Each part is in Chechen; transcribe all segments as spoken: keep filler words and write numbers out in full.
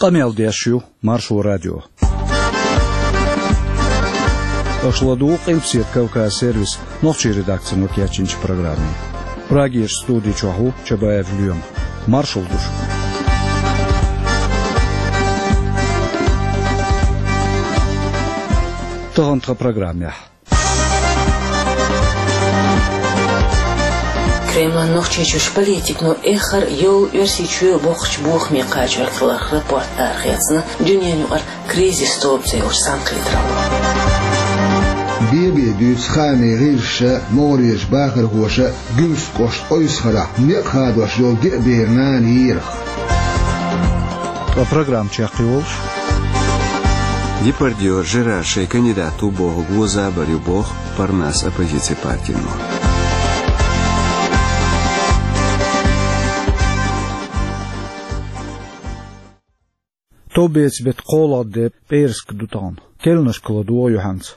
Къамел деш ю Маршо радио. Аша ладугӀу Къилбаседа Кавказ сервисан нохчийн редакцино кечйинчу программе. Прагерчу студи чохь ву Чабаев Лоьма. Маршалла ду шуьга. Тахана тхан программехь. Кремлан Нохчийчуьрчу политикано эххар а йолу Оьрсийчоь боккхачу бохаме кхачорг хиларх рапорт арахецна дуьненан юкъара «Кризис» тобу цӀе йолчу цхьаьнакхетаралло. Бен-бен дуьйцу хаамийн гӀирсаша а, могӀарерчу бахархоша а Гуьмсан кӀоштан Ойсхарахь некъ хадош йолу деа бер нана йийрах. Ткъа программа чекхйолуш: Депардьё Жерар шайн кандидат ву бохург вон забар ю боху Парнас оппозицин партино. Товбецан беттан кхоалгӀа де, пӀераска ду тахана. Керланашка ладогӀа юьхьанца.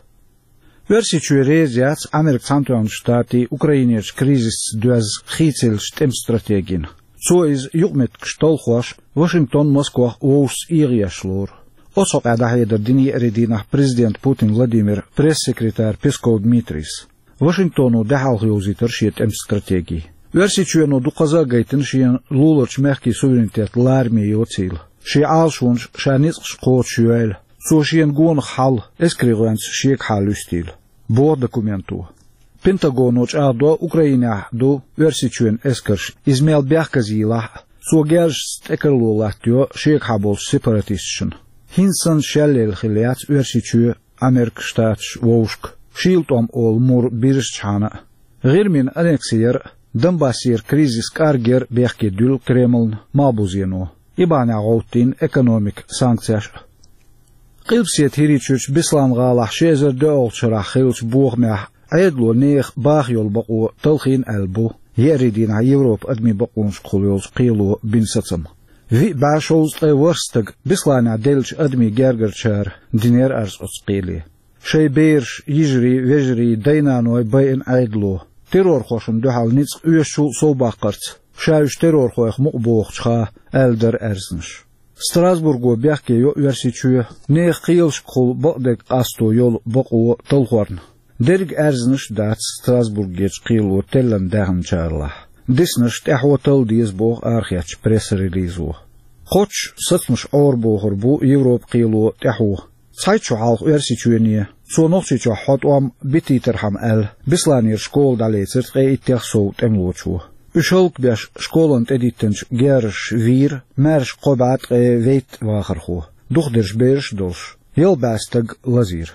Оьрсийчоь реза яц Америкин Цхьаьнатоьхначу Штатийн Украинерчу кризисца доьзна хийцаеллачу тӀеман стратегина. Цо иза юкъаметтигаш талхош, Вашингтон Москвах вовшашца эгӀаеш лору. Оцу хьокъехь дӀахьедар дина еарин дийнахь президента Путин Владимиран пресс-секретарас Песков Дмитрийс. Вашингтоно де хьалха йовзийтира шен тӀеман стратеги. Оьрсийчоьно дукхазза а гайтина шена луларчу мехкийн суверенитет лараме йоцийла. Шен Ӏалашонаш, ша ницкъаш кхочушйойла. Цо шена гонах хьал, эскарийн гӀоьнца шегахьа луьстийла, боху документо. Пентагоно чӀагӀдо Украинехь ду Оьрсийчоьнан эскарш, иза мел бехказйийлахь а, цо герзашца тӀекарло латтайо шегахьа болчу сепаратисташна. ХӀинца санна шелъелла хилла яц Оьрсийчоь, Америкин Штаташ вовшашка, шийла тӀом олу мур бирзичхьана а. ГӀирмина аннекси яр а, Донбассера кризис кӀаргъяр а бехке дуьллу Кремлна малхбузено. И бахьанехь гӀовттийна экономикан санкцеш а. Къилбаседа ХӀирийчуьрчу Беслан-гӀалахь ши эзар доьалгӀачу шарахь хиллачу бохамехь Ӏедало нехан баха йолу бакъо талхийна аьлла бу еарин дийнахь Европан адамийн бакъонашкахула йолчу кхело бина сацам. Виъ бӀе шовзткъе ворхӀ стаг Бесланехь деллачу адамийн гергарчара динера арз оцу кхеле. Шайн бераш, йижарий, вежарий, дай-наной байина Ӏедало, террорхошна дуьхьал ницкъ оьшучул а совбаккхарца, ша уьш террорхойх мукъа бохучуха, аьлла дара аьрзнаш. Страсбурго бехке йо Оьрсийчоь нехан кхелашкахула бакъдерг къасто йолу бакъо талхорна. Дерриг аьрзнаш а дац Страсбургерчу кхело теллина даьхначарлахь. Диснарш тӀаьхьо талла деза боху арахецначу пресс-релизо. Кхоччуш сацамаш Ӏорабохур бу Европан кхело тӀаьхьо. Цхьайтта шо хьалха Оьрсийчоьне, цо Нохчийчохь хьо тӀом битийтархьама аьлла, Бесланера школа дӀалецира ткъе иттех сов тӀемалочо. Уьш хӀаллакбеш школана тӀедиттинчу герзаша вийра, маьрша кхо бӀе ткъе вейтта вахархо, дукхахдерш бераш а долуш, ялх бӀе стаг лазийра.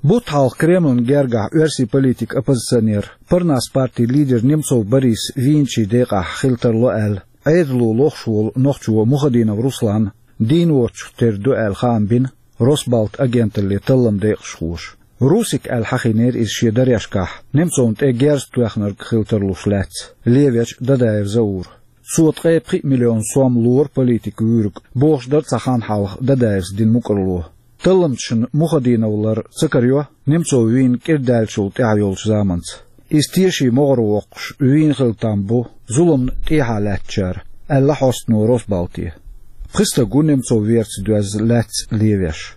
Бутт хьалха Кремлан гергахь оьрсийн политик-оппозиционер, Парнас партин лидер Немцов Борис вийначийн декъехь хила тарло аьлла, Ӏедало лохуш волу нохчо Мухадинов Руслан дийна воцчух тера ду аьлла хаам бина Росбалт агенталле талламан декъашхоша. Русик аьлла хьахийнера иза шен дарешкахь, Немцовна тӀе герз тоьхнарг хила тарлуш лаьцна, левечу Дадаев Заура. Цо ткъе пхиъ миллион сом лора политикан вуьйриг, бохуш дара цхьа хан хьалха Дадаевс дина мукӀарло. Талламчашна Мухадинов лар ца карайо, Немцов вийна кӀира даьллачул тӀаьхьа йолчу заманца. Иза тешийн могӀаре воккхуш вийна хила там бу зуламна тӀехьа лаьттачара, аьлла хьостано Росбалте. Пхи стаг ву Немцов верца доьзна лаьцна левеш.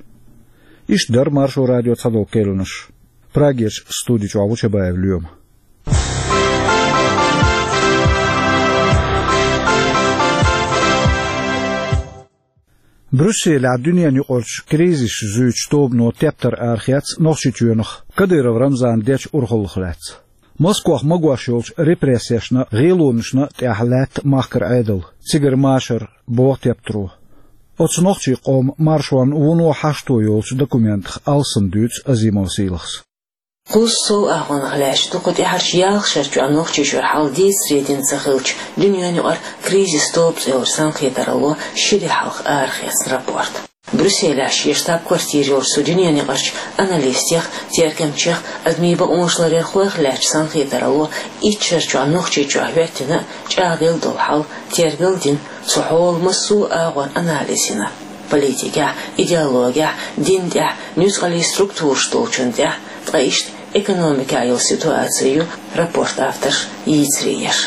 Иштта дара Маршо радион цхьадолу керланаш. Прагерчу студи чохь ву Чабаев Лоьма. Брюсселехь дуьненаюкъарчу кризисаш зуьйчу тобано тептар арахецна Нохчийчоьнах Кадыров Рамзана дечу урхаллах лаьцна. Москвахь магош йолчу репрессешна а, гӀелонашна а тӀехь лаьтта махкара Ӏедал, цигара машар, боху тептаро. Оцу нохчийн къоман маршонан вуно хьашто йолчу документах алсам дуьйцу Азимов Сийлахьс. Кхузткъа сов агӀонах лаьтташ ду кху тӀаьхьарчу ялх шарчохь Нохчийчуьра хьал дийцаре дина ца хиллачу дуьненаюкъара «Кризис» тобу цӀе йолчу цхьаьнакхетаралло ши де хьалха арахецна рапорт. Брюсселехь шен штаб-квартира йолчу цу дуьненаюкъарчу аналистех, тергамчех, адамийн бакъонаш ларъярхойх лаьттачу цхьаьнакхетаралло итт шарчохь Нохчийчохь хӀоьттина а, чӀагӀделла долу хьал тергал а дина, цу хьолан массо а агӀор анализ йина. Политикехь, идеологехь, дин тӀехь, нуьцкъаллин структураш долчун тӀехь, ткъа иштта экономикехь йолу ситуаци ю рапортан авторш йийцаре еш.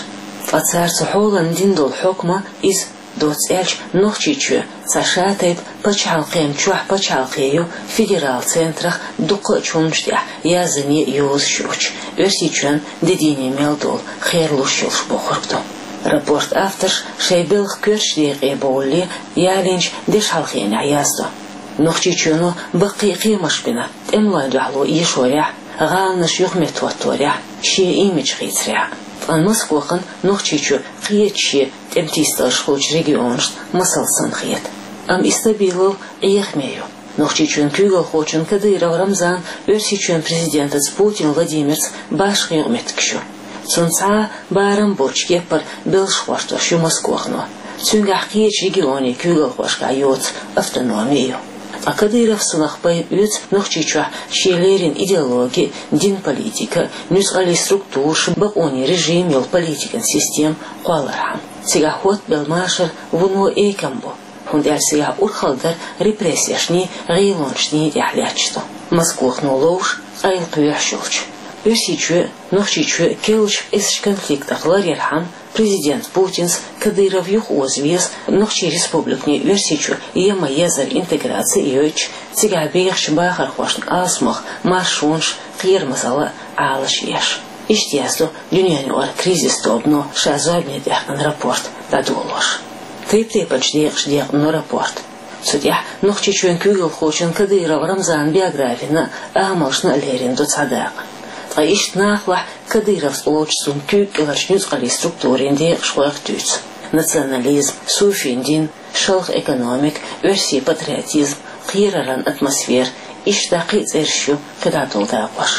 Ткъа цара цу хьолана дина долу хьукма иза Доцца аьлча, Нохчийчоь цхьа шатайпа пачхьалкхен чохь пачхьалкхе ю, федерал центрах дуккха а чулмаш тӀехь язъяьй йозуш йоцуш, Оьрсийчоьнан де-дийне мел долу херлуш йолуш бохург ду. Рапорт авторш шайн белхан коьртачу декъе бовлале ялийначу дешхьалхенехь яздо. Нохчийчоьно баккхий кхиамаш бина тӀемалойн дуьхьало эшорехь, гӀаланаш юхаметтахӀотторехь, шен имидж хийцарехь. Ткъа Москвахана Нохчийчоь кхечу шен тӀематийсадаларш хуьлучу регионашна масал санна хета. Амма и стабилал Ӏехаме ю. Нохчийчоьнан куьйгалхочун Кадыров Рамзанан Оьрсийчоьнан президентаца Путин Владимирца башха юкъаметтигаш ю. Цунна цхьа а барам боцчу кеппара белш гӀортош ю Москвахано. Цуьнгахь кхечу регионийн куьйгалхошкахь йоцу автономи ю. Ткъа Кадыровсанах пайда оьцу Нохчийчохь шен леррина идеологи, динан политика, нуьцкъаллийн структураш, бакъонийн режим йолу политикан система кхоллархьама. Цигахь хӀоттабелла машар вуно экам бу, хӀунда аьлча цигахь урхалла дар репрессешний, гӀелонашний тӀехь лаьтташ ду, Москвахано ловш, къайлакхоьхьуш йолчу. Оьрсийчоь а, Нохчийчоь а керлачу къизачу конфликтах ларъярхьама, президент Путинс Кадыров юхаоза веза Нохчийн республиканийн Оьрсийчу ема езар интеграци а йойтуш, цигахь бехачу бахархошна алсамох маршонаш, кхерамазалла а Ӏалаш еш. Иштта яздо дуьненаюкъара кризис тобано ша зорбане даьккхина рапорт дӀадолош. Тайп-тайпанчу декъашна декъна рапорт. Цу тӀехь Нохчийчоьнан куьйгалхочун Кадыров Рамзанан биографина а, амалшна а лерина ду цхьа дакъа. Ткъа иштта нахалахь Кадыровс олучу цунна куьйга кӀеларчу нуьцкъаллийн структурийн декъашхойх а туьйцу: национализм, суфин дин, шалха экономика, оьрсийн патриотизм, кхераран атмосфера, иштта кхин а цӀераш ю кхидӀа долу дакъош.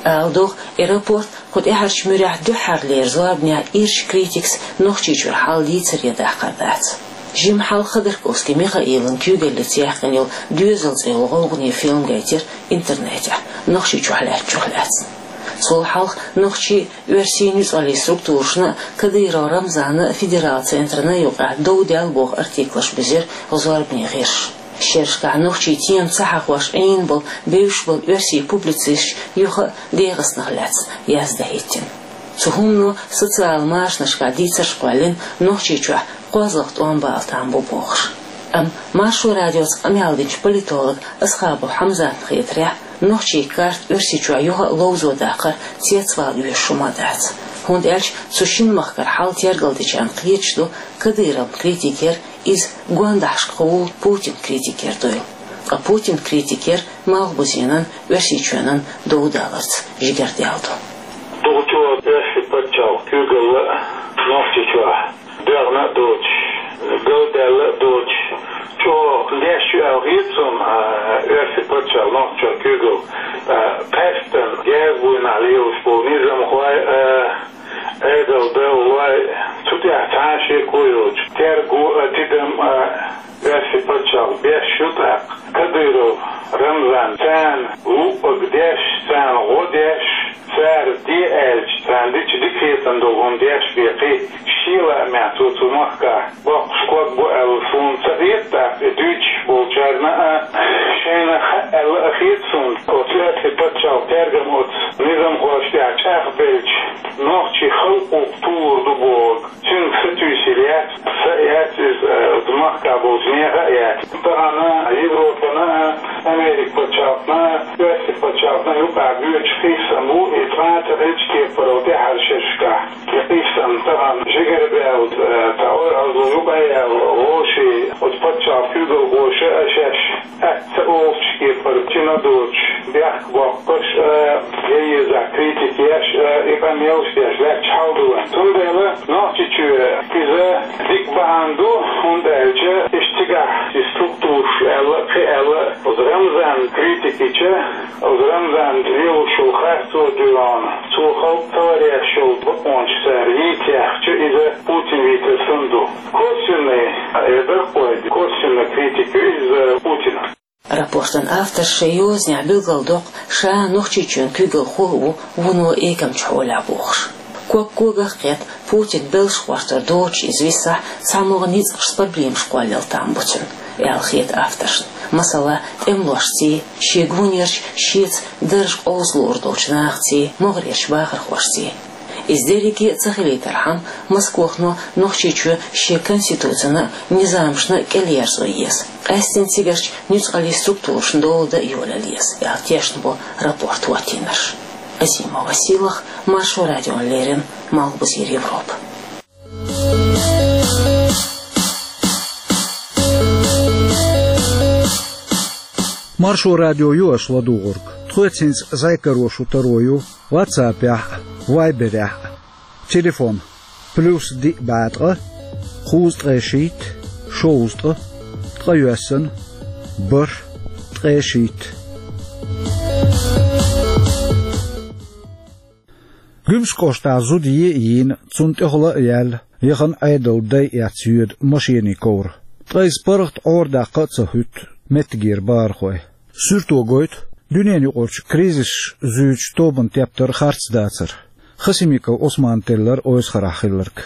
Ала догӀу, и рапорт кху тӀаьхьарчу муьрехь дуьххьарлера зорбанехь ирча критикас Нохчийчуьра хьал дийцаре дахкар дац. Жимма хьалха Ходорковский Михаилан куьйгаллица яьккхина йолу «Доьзал» цӀе йолу гӀовгӀане фильм гайтира интернетехь, Нохчийчохь лаьттачух лаьцна. Цул хьалха нохчийн, оьрсийн нуьцкъаллийн структурашна а, Кадыров Рамзанан а федерал центрана а юкъахь дов даьлла боху артиклаш бизира зорбане гӀирсаша. Шерашкахь нохчийн тема ца хьахош Ӏийна болу, бевзаш болу оьрсийн публицисташ юха а ДегӀастанах лаьцна яздан хӀиттина. Цу хӀумано социал машанашкахь дийцарш кхоьллина, Нохчийчохь кхозлагӀа тӀом бала там бу бохуш. Амма Маршо радиоца къамел динчу политолог Асхабов Хьамзатна хетарехь, нохчийн карта Оьрсийчохь юха а ловзо даккхар цецвала оьшуш хӀума дац. ХӀунда аьлча цу шина махкара хьал тергалдечарна кхеташ ду Кадыровн критикера иза гондахьашкахула Путинан критикера дуйла. Ткъа Путинан критикера Малхбузенан Оьрсийчоьнан дов даларца жигара дел ду. Дукха чӀогӀа оьрсийн пачхьалкхан куьйгалла а Нохчийчохь дегӀна а доцуш, галдаьлла а доцуш, чӀогӀа деш ю аьлла хета суна, а, оьрсийн пачхьалкх Нохчийчохь куьйгалла, а, къаьсттина герз буйнахь лелаш болу низамхой а, Ӏедалдаллой, цу тӀехь цхьа а шеко йоцуш, терго а, тидам а оьрсийн пачхьалкх беш ю тӀаккха. Кадыров Рамзан царна луъург деш, царна гӀо деш, цара де аьлча, царна дича дика хетарна долу хӀума деш бен кхин шен лаамехь цо цу махкахь боккхуш ког бу аьлла суна ца хета, тӀаккха и дуьйцуш болчарна а шайна хаьа аьлла а хета суна. Оцу оьрсийн пачхьалкхан тергам оцу низамхошна тӀехь чӀагӀбелча, нохчийн халкъо тухур ду бохург цуьнга сатуьйсур яц, са а яц иза, э, оцу махкахь болчу нехан а яц. Тахана Европана а, Америкин пачхьалкхана а, оьрсийн пачхьалкхана а юкъахь гойтуш къийсам бу, и цкъа а ца хилча кепара тӀаьхьарчу шерашкахь. И къийсам тахана жигара баьлла, э, цхьа ойхьазло юкъа а яьлла, вовшийн оцу пачхьалкхан куьйгалхоша а шаьш атта ца олучу кепара, чина доцуш, бехк боккхуш а, я еза критика еш а, и къамелаш деш лаьтташ хьал ду вайн. Цундела Нохчийчоь иза дика бахьана ду, хӀунда аьлча иштта цигахь и структураш аьлла, кхин аьлла, оцу Рамзан критика йича, оцу Рамзан лелош йолу харцо а дуьйна, цо халкъ ца ларъеш йолу бакъонаш цара йийца яьхча, иза Путин вийцар санна ду. Косвенный, э, дархой, косвенный критика ю иза Путина. Рапортан авторш шайн йозанехь билгалдоккху, ша Нохчийчоьнан куьйгалхо а ву вуно экамчу хьолехь бохуш. Ког когах кхетта, Путин белш гӀортор доцуш иза висахь, цхьамогӀа ницкъашца проблемаш кхоллал там бу цуьнан, аьлла хета авторшна. Масала, тӀемалошций, шен гонерчу шеца дарж къовсалур долчу нахаций, могӀарерчу бахархошций. Иза дерриге а ца хилийтархьама, Москвахо Нохчийчоь шен Конституцина а, низамашна а кӀелъерзо еза. Къаьсттина цигарчу нуьцкъалчу структурашна дола дан а йолаялла еза, аьлла тешна бу рапорт хӀоттийнарш. Азимова Сийлаха, Маршо радиона леррина, Малхбузера Европа. Маршо радио ю аша ладугӀург. Тхоьца хӀинца зӀе кхойтта шу таро ю WhatsApp-ехь а, Viber-ехь а. Телефон: плюс диъ бӀе ткъа, кхузткъе шийтта, шовзткъа, ткъайоьсна, бархӀ, ткъе шийтта. Гуьмсан кӀоштахь зуда е а йийна, цунна тӀехула а яьлла, яхана Ӏедалан дай эцна йоьду машенийн ковра. Ткъа иза паргӀат Ӏорадаккха а ца хӀуьтту меттигера бахархой. Суьрто гойту дуьненаюкъарчу кризисаш зуьйчу тобанан тептар харц дацар. Хасимиков Ӏусмана теллира Ойсхарахь хилларг.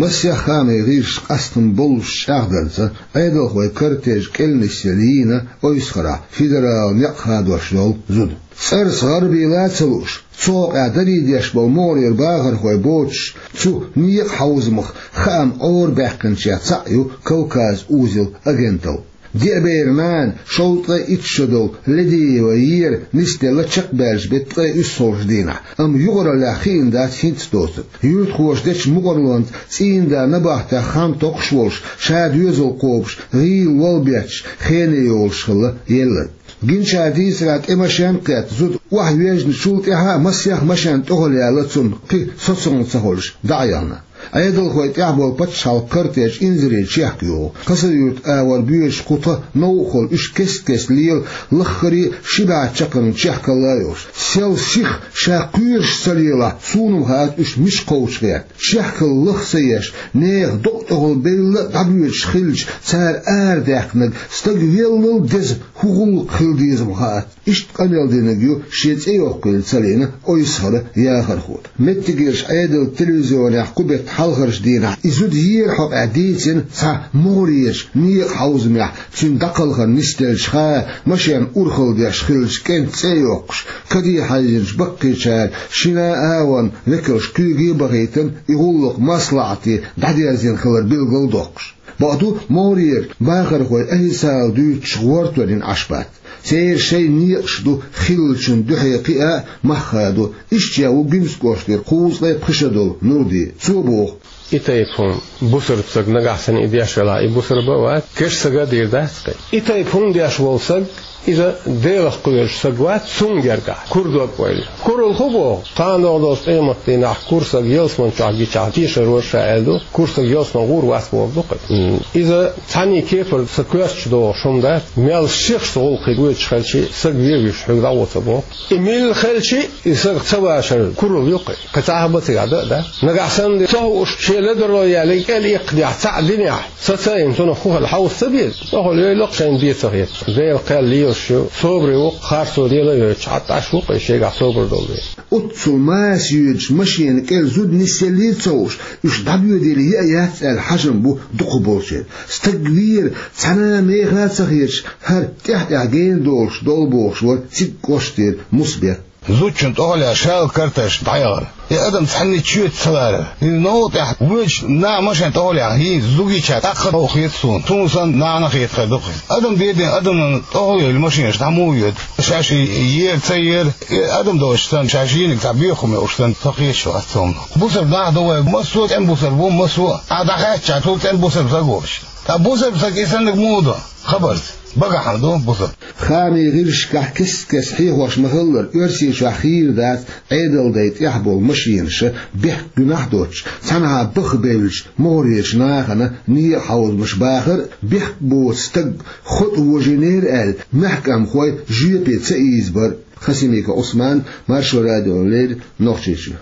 Масех хаамийн гӀирсаша къастам боллуш чӀагӀдарца, Ӏедалхойн кортеж кӀел нисъелла йийна Ойсхарахь федералан некъ хадош долу зуда. ЦӀарца гӀарабийла а ца лууш, цу хьокъехь даре деш болу могӀарера бахархой боцуш, цу некъан хьовзамах хаам Ӏорабаьккхинчех цхьаъ ю Кавказ узел агенталла. Деа беран нана, шовзткъе итт шо долу Ледиева Вера нисделла чекхбаьллачу беттан ткъе уьссалгӀачу дийнахь, амма юкъараллехь хиъна дац хӀинцца доцург. Юьртахоша дечу мукъарлонца цӀийнан да набахтех хан токхуш волуш, ша доьзал кхобуш, гӀийла вала бетташ, хене йолуш хилла елларг. Гиначарна дийцарехь, тӀе машен а кхетта, зуда охьавоьжначул тӀаьхьа а масех машен тӀехула яьлла цунна, кхин соцалла ца хуьлуш, дӀа а яхна. Ӏедалхойн тӀехь болу пачхьалкхан кортеж инзаре чехка йогӀу. Хасавюрт агӀор боьдуш кху тхан новкъахула уьш кест-кеста лела, лаххара а ши бӀе чаккхарма чехкалла а йолуш. Сел сиха ша кхоьруш ца лелахь, суна-м хаьа уьш мича кхочуш гӀерта. Чехкалла лаха ца еш, нехан докъа тӀехула белла а дӀабоьдуш хилча, цара арадаьккхинарг стаг веллал деза хӀун гӀуллакх хила деза-м хаьа. Иштта къамел динарг ю шен цӀе йоккхийла ца лиъна Ойсхаран яхархо. Меттигерчу Ӏедалан телевизионехь кху беттан хьалхарчу дийнахь и зуда ера хьокъехь дийцина цхьа могӀарерчу некъан хьовзамехь цуьнан дӀакхалхар нисделча хаа машен урхалла деш хиллачу кӀентан цӀе а йоккхуш, каде хьаьжначу баккхийчара шина агӀонан векалш куьйге а бахийтина, и гӀуллакх маслаӀате дӀадерзийна хилар билгал а доккхуш. Бакъду, могӀарера бахархой официалан дуьйцучух гӀортор йина Ӏаш бац. Церан шайн некъаш ду хиллачун дуьхьа кхиа а, мах хадо. Иштта ву Гуьмсан кӀоштара кхузткъе пхи шо долу Нурди. Цо боху: И тайпа хӀума, бусалба стаг нагахь санна и деш велахь, и бусалба а вац, керста стага а дийр дац кхин. И тайпа хӀума деш волу стаг, иза Делах кхоьруш стаг вац, цунна гергахь кура дог ойла. Куралла хӀун боху? Кхана догӀу долчу къематдийнахь кура стаг ялсамани чохь гичахь, тешар вара ша аьлла ду, кура стаг ялсамани гӀур вац бохург ду-кх. М, иза цхьаьнний кепара сан коьртачу догӀуш хӀума дац, мел сихха гӀуллакхе воьдуш хилча, стаг вен вуьйш хьоьга дӀагӀо ца боху. И милла хилча, и стаг ца вашар куралла ю-кх. Кхин цхьа а хӀума цигахь дан а дац. Нагахь санна ца хууш, шен ледарло яьлларг кӀел иккха дехь цхьаъ динехь, са ца йина, цунах хӀун хилла хьовса ца беза? ТӀехула йойла-кх шайна бен ца хеташ. Делан кхел лелаш ю, собаре ву-кх, харцо лела а йойтуш, хьатта Ӏаш ву-кх и шегахь собар долу вен. Оццул маса йоьдучу машенан кӀел зуда нисъеллий а ца хууш, уьш дӀабоьдийла яа яц аьлла хьажам бу дукхахболчеран. Стаг вийра, цхьана а меха а ца хеташ, хӀара тӀаьхь-тӀаьхьа гена долуш долу бохуш вара цига кӀоштара Мусбек. Зудчун тӀехула шал карташ дӀаяхара. И адам цхьанне чоьца ца ларара. И новкъа тӀехь воьдуш нах машен тӀехула яхна, хӀинца зугича тӀаккха а хета суна. Суна санна нахана хетар ду-кх иза. Адам деден адамна тӀехула йойла машенаш дӀа муха йоьду? Шаьш и ера, ца ера, и адам доцуш санна, шаьш йинарг цхьа боьха хӀума йолуш санна, со кхеташ вац цунах. Бусалба нах ду вай, массо а цӀена бусалба ву, массо а. Ахьа дӀахаьттича, цул цӀена бусалба стаг воцуш. Ткъа бусалба стаг и саннарг муха до? Хабарца. Багахь хӀума ду бусалба. Хаамийн гӀирсашкахь кест-кеста хьехош ма-хиллара, Оьрсийчохь хийра дац Ӏедалан дай тӀехь болу машенаш бехк гуьнахь а доцуш, цхьанхьа баха бевллачу могӀарерчу нахана некъан хьовзамаш бахар а, бехк боцу стаг хӀоттавожийнера аьлла, маьхкамхой жоьпе ца ийзабар а. Хасимиков Ӏусман, Маршо радиона леррина, Нохчийчоь.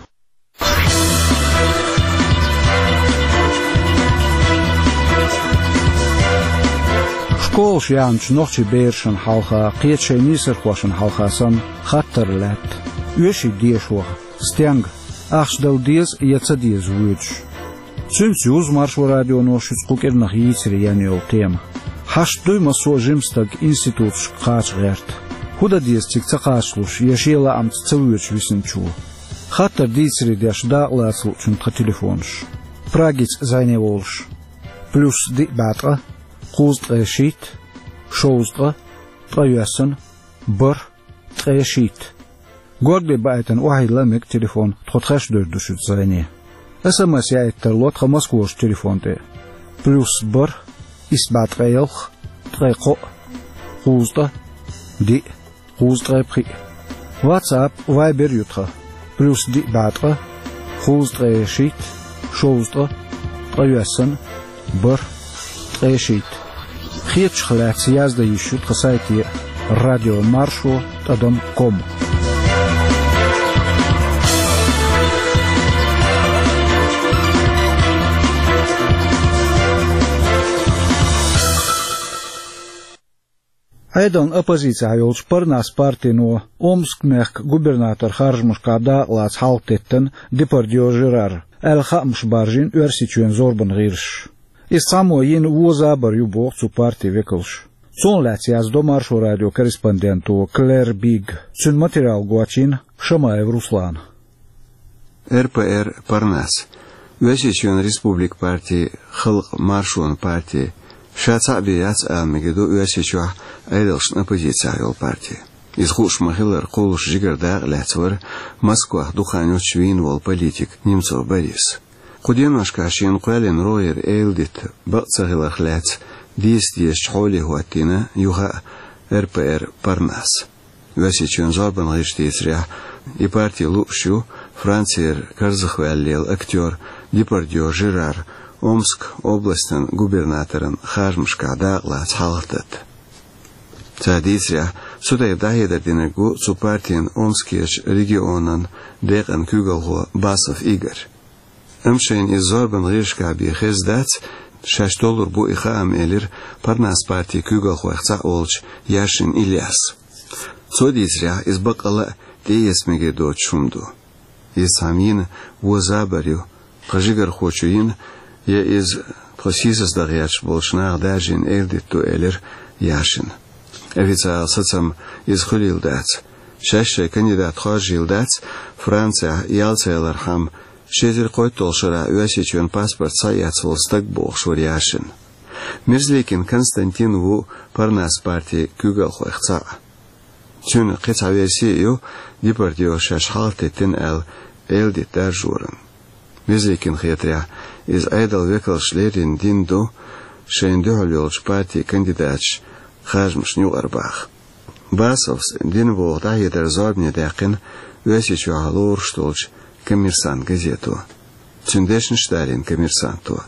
Школаш яьхначу нохчийн берашна хьалха, кхечу шайн нийсархошна хьалха санна, хаттар лаьтта: оьший дешо стенга, ахча дала деза я ца деза воьдуш? Цуьнца юзу Маршо радионо шуьца кху кӀирнах йийцаре ян йолу тема. Хьашт дуй массо а жима стаг институташка кхача гӀерта? ХӀун дан деза цига ца кхачалуш я шен лаамца ца воьдуш висинчо? Хаттар дийцаре деш дакъа лаца луучунна тхан телефонаш. Прагица зӀене волуш: плюс диъ бӀе ткъа, кхузткъе шийтта, шовзткъа, ткъайоьсна, бархӀ, ткъе шийтта. Горгали баийтина охьайилла мега телефон, тхо тхаьш девр ду шуьца зӀене. СМС яийта тарло тхан Москварчу телефон тӀе: плюс бархӀ, исс бӀе ткъе ялх, ткъе кхоъ, кхузткъа, диъ, кхузткъе пхиъ. WhatsApp, Viber ю тхан: плюс диъ бӀе ткъа, кхузткъе шийтта, шовзткъа, ткъайоьсна, бархӀ, ткъе шийтта. Хетачух лаьцна яздан йиш ю тхан сайте: радио маршо тӀадам ком. Ӏедална оппозицехь йолчу Парнас партино Омск-мехкан губернатор харжамашкахь дакъа лаца хьалхатеттина Депардье Жерар аьлла хаамаш баржийна Оьрсийчоьнан зорбанан гӀирсаша. Иза цхьаммо йина вон забар ю, боху цу партин векалша. Цунах лаьцна яздо Маршо радион корреспонденто Клэр Бигга. Цуьнан материал гочйина Шамаев Руслана. РПР Парнас, Оьрсийчоьнан республикан парти, халкъан маршонан парти, ша цхьаъ бен яц ала мегар ду Оьрсийчохь Ӏедалшна оппозицехь йолу парти. Иза, хууш ма-хиллара, кхуллуш жигара дакъа лаьцна вара Москвахь дукха хан йоццуш вийна волу политик Немцов Борис. Кху деношкахь шена кхоьллина рогӀера эладита бакъ ца хиларх лаьцна дийца дезачу хьоле хӀоттийна юха а РПР Парнас. Оьрсийчоьнан зорбанан гӀирсаша дийцарехь, и парти лууш ю Францера карзахваьлла лела актер Депардье Жерар Омск областан губернаторан харжамашкахь дакъа лаца хьалхататта. Цара дийцарехь, цу тайпа дӀахьедар динарг ву цу партин Омскерчу регионан декъан куьйгалхо Басов Игорь. Амма шайна иза зорбанан гӀирсашкахь бен хезна дац, шаьш толлур бу и хаам, элира Парнас партин куьйгалхойх цхьаъ волчу Яшин Ильяса. Цо дийцарехь, иза баккъалла а тӀеэца мегар доцуш хӀума ду. Иза цхьамма йина вон забар ю, тхан жигархочо йина, я иза тхо сийсаздан гӀерташ болчу наха даржийна эладита ду, элира Яшина. Официалан сацам иза хуьлийла дац. Шаьш шайн кандидат хоржийла дац Францехь ялсаманин хьама ши эзар кхойтталгӀачу шарахь Оьрсийчоьнан паспорт схьаэцна волу стаг, бохуш вара Яшин. Мерзликин Константин ву Парнас партин куьйгалхойх цхьаъ. Цуьнан кхин цхьа верси а ю Депардье шаьш хьалхатеттина аьлла эладита даржоран. Мерзликинна хетарехь, иза Ӏедалан векалша леррина дина ду шайна дуьхьал йолчу партийн кандидаташ харжамашна юкъара баха. Басовс дина боху дӀахьедар зорбане даьккхина Оьрсийчохь лоруш долчу «Коммерсант» газето. Цуьнан дешнаш а далийна «Коммерсанто».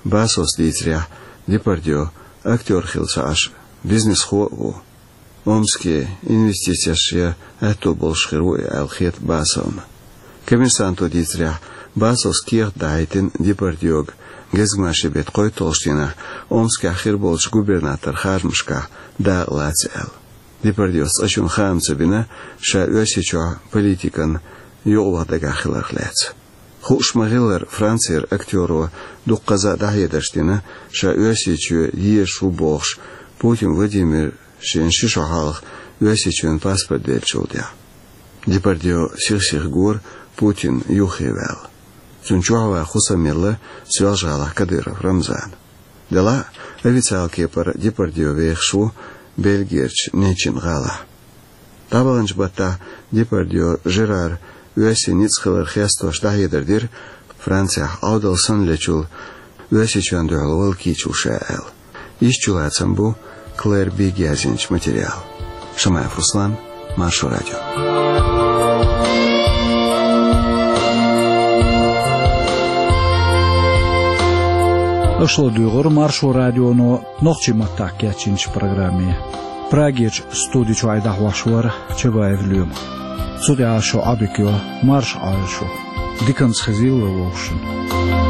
Басовс дийцарехь, Депардье актер хилла ца Ӏаш, бизнесхо а ву. Омске инвестицеш ян аьтто болуш хир ву и аьлла хета Басовна. «Коммерсанто» дийцарехь, Басовс кехат дахьийтина Депардьега гезгмашин беттан кхойтталгӀачу дийнахь Омскехь хир болчу губернаторан харжамашкахь дакъа лаца аьлла. Депардьес цкъачунна хаам ца бина, ша Оьрсийчохь политикана юкъаваха дагахь хиларх лаьцна. Хууш ма-хиллара, Францера актеро дуккхаза а дӀахьедарш дина, ша Оьрсийчоь езаш ву бохуш, Путин Владимир шена ши шо хьалха Оьрсийчоьнан паспорт деллачул тӀаьхьа. Депардье сих-сиха гора Путин юххе ваьлла. Цунна чохь ван хӀусам елла Соьлжа-ГӀалахь Кадыров Рамзана. Делахь а, официалан кепара Депардье вехаш ву Бельгерчу Нечин-ГӀалахь. ДӀабаханчу баттахь Депардье Жерара оьрсийн ницкъ хилар хестош дӀахьедар дира, Францехь Ӏовдал санна лечул Оьрсийчоьнна дуьхьал вала кийча ву ша аьлла. Иштта чулацам бу Клэр Бигга яздинчу материалан. Шамаев Руслан, Маршо радио. Аша ладуьйгӀира Маршо радионо нохчийн маттахь кечйинчу программе. Прагерчу студи чуьра дӀахьош вара Чабаев Лоьма. Цу тӀехь шун Ӏадика йо, марша Ӏойла шу. Диканца хезийла вовшашна.